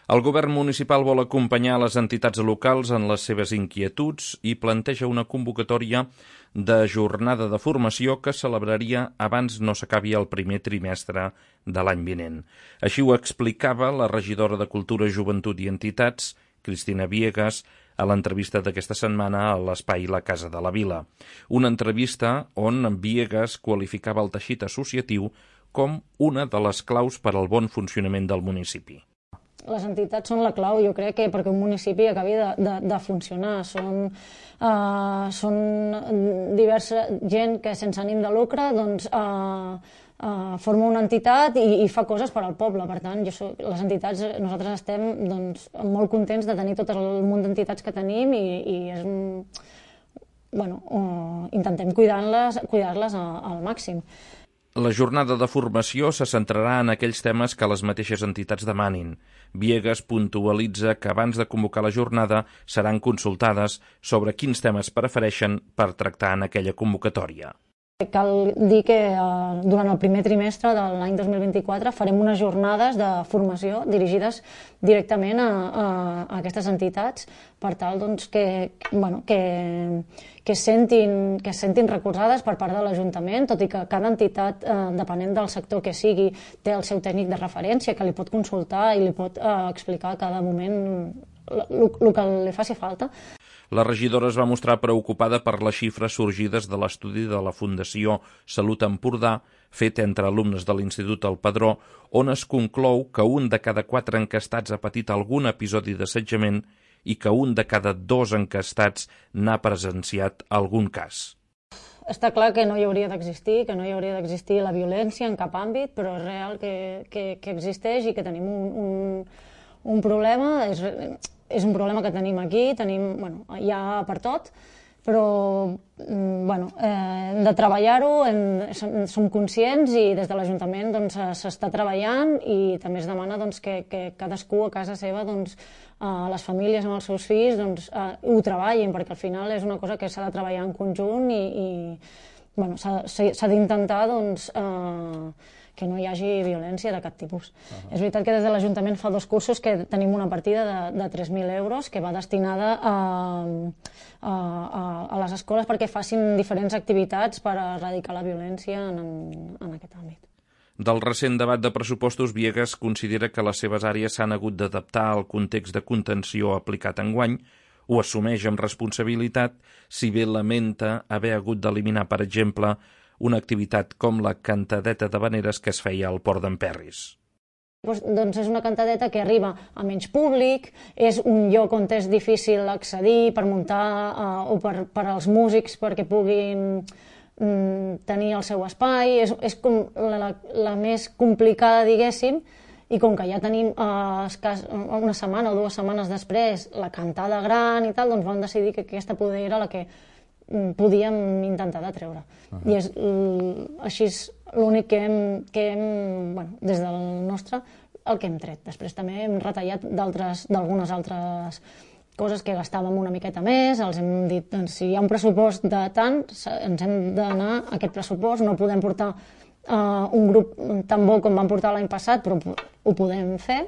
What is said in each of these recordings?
El govern municipal vol acompanyar les entitats locals en les seves inquietuds i planteja una convocatòria de jornada de formació que celebraria abans no s'acabi el primer trimestre de l'any vinent. Així ho explicava la regidora de Cultura, Joventut i Entitats, Cristina Viegas, a l'entrevista d'aquesta setmana a l'espai La Casa de la Vila. Una entrevista on Viegas qualificava el teixit associatiu com una de les claus per al bon funcionament del municipi. Les entitats són la clau, jo crec, perquè un municipi acabi de funcionar. Són diversa gent que sense ànim de lucre forma una entitat i fa coses per al poble. Per tant, les entitats, nosaltres estem molt contents de tenir tot el munt d'entitats que tenim i intentem cuidar-les al màxim. La jornada de formació se centrarà en aquells temes que les mateixes entitats demanin. Viegas puntualitza que abans de convocar la jornada seran consultades sobre quins temes prefereixen per tractar en aquella convocatòria. Cal dir que durant el primer trimestre de l'any 2024 farem unes jornades de formació dirigides directament a aquestes entitats per tal que es sentin recolzades per part de l'Ajuntament, tot i que cada entitat, depenent del sector que sigui, té el seu tècnic de referència que li pot consultar i li pot explicar a cada moment el que li faci falta. La regidora es va mostrar preocupada per les xifres sorgides de l'estudi de la Fundació Salut Empordà, fet entre alumnes de l'Institut El Padró, on es conclou que un de cada 4 enquestats ha patit algun episodi d'assetjament i que un de cada 2 enquestats n'ha presenciat algun cas. Està clar que no hi hauria d'existir la violència en cap àmbit, però és real que existeix i que tenim un problema. És un problema que tenim aquí, hi ha per tot, però hem de treballar-ho, som conscients i des de l'Ajuntament s'està treballant i també es demana que cadascú a casa seva, les famílies amb els seus fills, ho treballin, perquè al final és una cosa que s'ha de treballar en conjunt i s'ha d'intentar que no hi hagi violència de cap tipus. És veritat que des de l'Ajuntament fa 2 cursos que tenim una partida de 3.000 euros que va destinada a les escoles perquè facin diferents activitats per erradicar la violència en aquest àmbit. Del recent debat de pressupostos, Viegas considera que les seves àrees s'han hagut d'adaptar al context de contenció aplicat enguany, ho assumeix amb responsabilitat, si bé lamenta haver hagut d'eliminar, per exemple, una activitat com la cantadeta d'havaneres que es feia al Port d'Emperris. És una cantadeta que arriba a menys públic, és un lloc on és difícil accedir per muntar o per als músics perquè puguin tenir el seu espai, és com la més complicada, diguéssim, i com que ja tenim una setmana o 2 setmanes després la cantada gran i tal, doncs vam decidir que aquesta poder era la que podíem intentar de treure. I és així l'únic que hem, des del nostre, el que hem tret. Després també hem retallat d'algunes altres coses que gastàvem una miqueta més, els hem dit, si hi ha un pressupost de tant, ens hem d'anar a aquest pressupost, no podem portar un grup tan bo com vam portar l'any passat, però ho podem fer.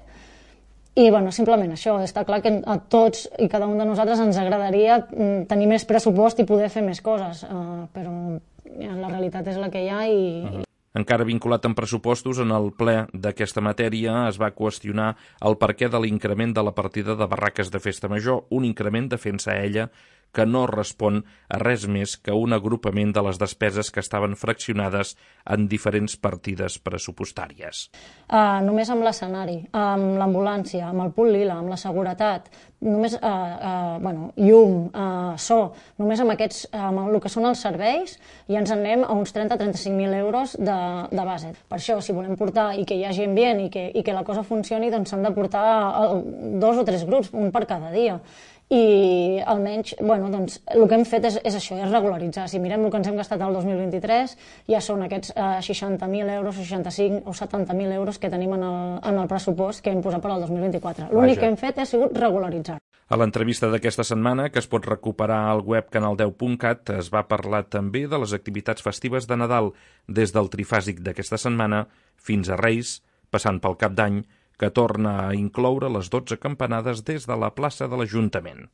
I simplement això, està clar que a tots i cada un de nosaltres ens agradaria tenir més pressupost i poder fer més coses, però la realitat és la que hi ha i... Encara vinculat amb pressupostos, en el ple d'aquesta matèria es va qüestionar el perquè de l'increment de la partida de barraques de festa major, un increment, defensa ella, que no respon a res més que un agrupament de les despeses que estaven fraccionades en diferents partides pressupostàries. Només amb l'escenari, amb l'ambulància, amb el punt lila, amb la seguretat, només llum, so, només amb el que són els serveis, ja ens en anem a uns 30-35.000 euros de base. Per això, si volem portar i que hi hagi ambient i que la cosa funcioni, doncs s'han de portar 2 o 3 grups, un per cada dia. I almenys, el que hem fet és això, és regularitzar. Si mirem el que ens hem gastat el 2023, ja són aquests 60.000 euros, 65 o 70.000 euros que tenim en el pressupost que hem posat per al 2024. L'únic que hem fet ha sigut regularitzar. A l'entrevista d'aquesta setmana, que es pot recuperar al web canal10.cat, es va parlar també de les activitats festives de Nadal, des del trifàsic d'aquesta setmana fins a Reis, passant pel Cap d'Any, que torna a incloure les 12 campanades des de la plaça de l'Ajuntament.